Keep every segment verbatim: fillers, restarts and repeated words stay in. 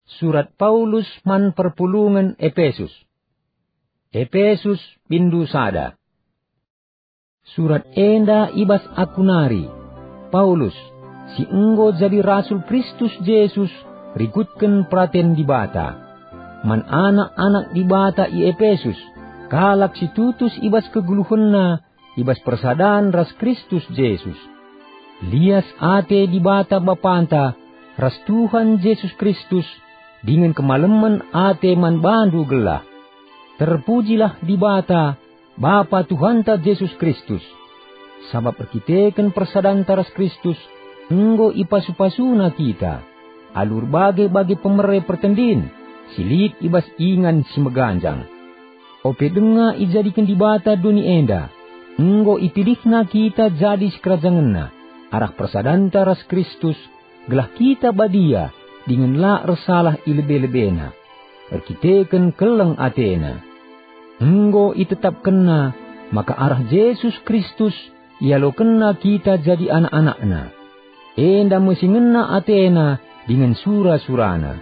Surat Paulus man perpulungen Epesus. Epesus, pindo sada. Surat enda i bas aku nari, Paulus, si enggo jadi rasul Kristus Jesus rikutken peraten Dibata. Man anak-anak Dibata i Epesus, kalak si tutus i bas kegeluhenna i bas persadan ras Kristus Jesus. Lias ate Dibata Bapanta ras Tuhan Jesus Kristus dingen kemalemen ate man bandu gelah. Terpujilah Dibata, Bapa Tuhanta Jesus Kristus. Sabap erkiteken persadanta ras Kristus, enggo ipasu-pasuNa kita, alu erbage-bage pemere pertendin si lit i bas ingan si meganjang. Ope denga ijadiken Dibata doni enda, enggo ipilihNa kita jadi sikerajangenNa arah persadanta ras Kristus, gelah kita badia dingen la ersalah i lebe-lebeNa, erkiteken keleng ateNa. Enggo itetapkenNa maka arah Jesus Kristus ialokenNa kita jadi anak-anakNa. Enda me si ngena ateNa dingen sura-suraNa.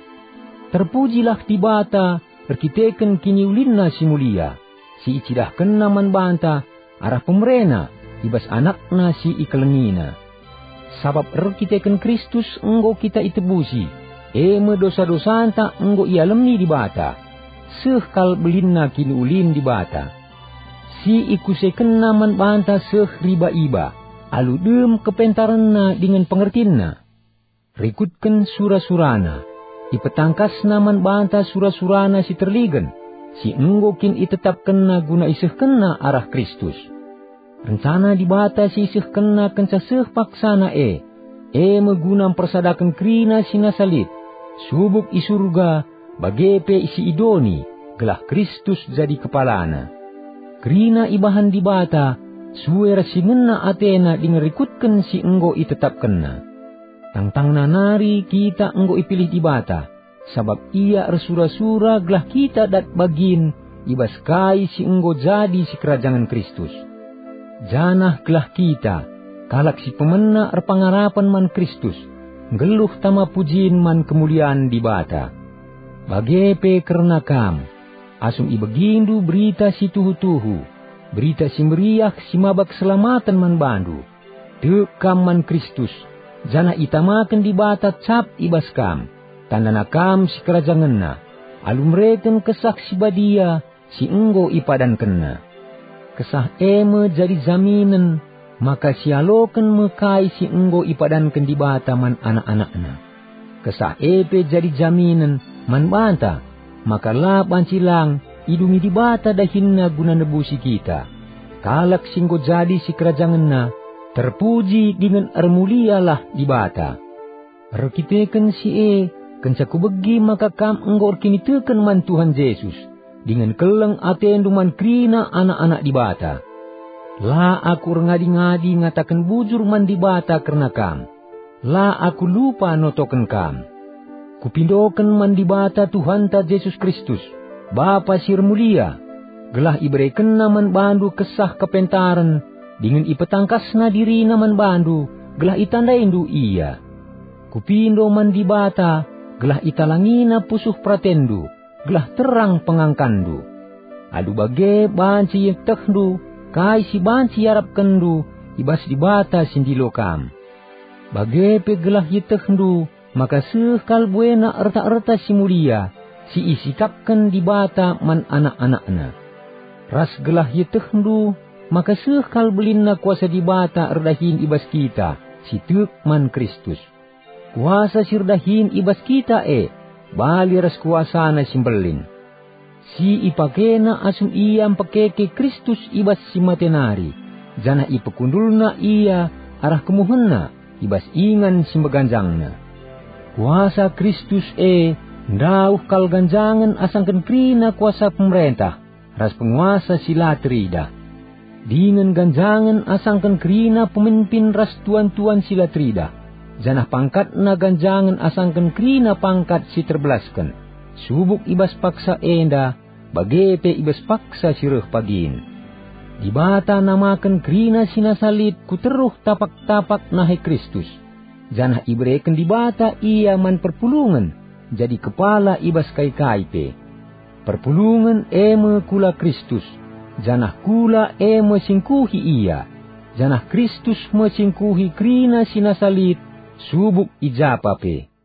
Terpujilah Dibata erkiteken kiniulinNa si mulia, si icidahkenNa man banta arah pemereNa i bas AnakNa si ikelengiNa. Sabap erkiteken Kristus enggo kita itebusi, e me dosa-dosanta enggo ialemi Dibata. Seh kal belinna kiniulin Dibata. Si ikusekenNa man banta seh riba-iba, alu dem kepentarenNa dingen pengertinNa. Rikutken sura-suraNa, ipetangkasNa man banta sura-suraNa si terligen, si enggo kin itetapkenNa guna isehkenNa arah Kristus. Rencana Dibata si isehkenNa kenca seh paksaNa e, e me guna mpersadaken kerina si nasa lit, subuk i Surga, bage pe si i doni, gelah Kristus jadi kepalana. Kerina ibahan Dibata, sue ras si ngena ateNa dingen rikutken si enggo itetapkenNa. Tangtangna nari kita enggo ipilih Dibata, sabap Ia ersura-sura gelah kita dat bagin i bas kai si enggo jadi sikerajangen Kristus. Janah gelah kita, kalak si pemena erpengarapen man Kristus, nggeluh tama pujin man kemulian Dibata. Bage pe kerna kam, asum ibegindu berita si tuhu-tuhu, Berita Si Meriah si maba keselamaten man bandu. Tek kam man Kristus, janah itamaken Dibata cap i bas kam, tandana kam sikerajangenNa, alu mereken Kesah Si Badia si enggo ipadankenNa. Kesah e me jadi jaminen maka sialoken me kai si enggo ipadanken Dibata man anak-anakNa. Kesah e pe jadi jaminen man banta maka la banci lang idungi Dibata dahinNa guna nebusi kita. Kalak si enggo jadi sikerajangenNa, terpuji dingen ermulialah Dibata. Erkiteken si e, kenca kubegi maka kam enggo erkiniteken man Tuhan Jesus, dingen keleng atendu man kerina anak-anak Dibata. La aku erngadi-ngadi ngataken bujur man Dibata kerna kam. La aku lupa notoken kam. Kupindoken man Dibata Tuhanta Jesus Kristus, Bapa si ermulia, gelah iberekenNa man bandu kesah kepentaren dingen ipetangkasNa diriNa man bandu gelah itandaindu Ia. Kupindo man Dibata gelah italangina pusuh peratenndu, gelah terang pengangkanndu. Alu bage banci ietehndu kai si banci iarapkenndu i bas Dibata si ndilo kam. Bage pe gelah ietehndu maka seh kal buena erta-erta si mulia si isikapken Dibata man anak-anakNa. Ras gelah ietehndu maka seh kal belinna kuasa Dibata erdahin i bas kita si tek man Kristus. Kuasa si erdahin i bas kita e bali ras kuasaNa si mbelin, si ipakeNa asum Ia mpekeke Kristus i bas si mate nari, janah ipekundulNa Ia arah kemuhenNa i bas ingan si meganjangNa. Kuasa Kristus e ndauh kal ganjangen asangken kerina kuasa pemerentah ras penguasa si la teridah, dingen ganjangen asangken kerina pemimpin ras tuan-tuan si la teridah, janah pangkatna ganjangen asangken kerina pangkat si terbelasken, subuk i bas paksa enda, bage pe i bas paksa si reh pagin. Dibata namaken kerina si nasa lit ku teruh tapak-tapak nahe Kristus, janah ibereken Dibata ia man perpulungen, jadi kepala i bas kai-kai pe. Perpulungen e me kula Kristus, janah kula e me singkuhi ia, janah Kristus me singkuhi kerina si nasa lit subuk i japa pe.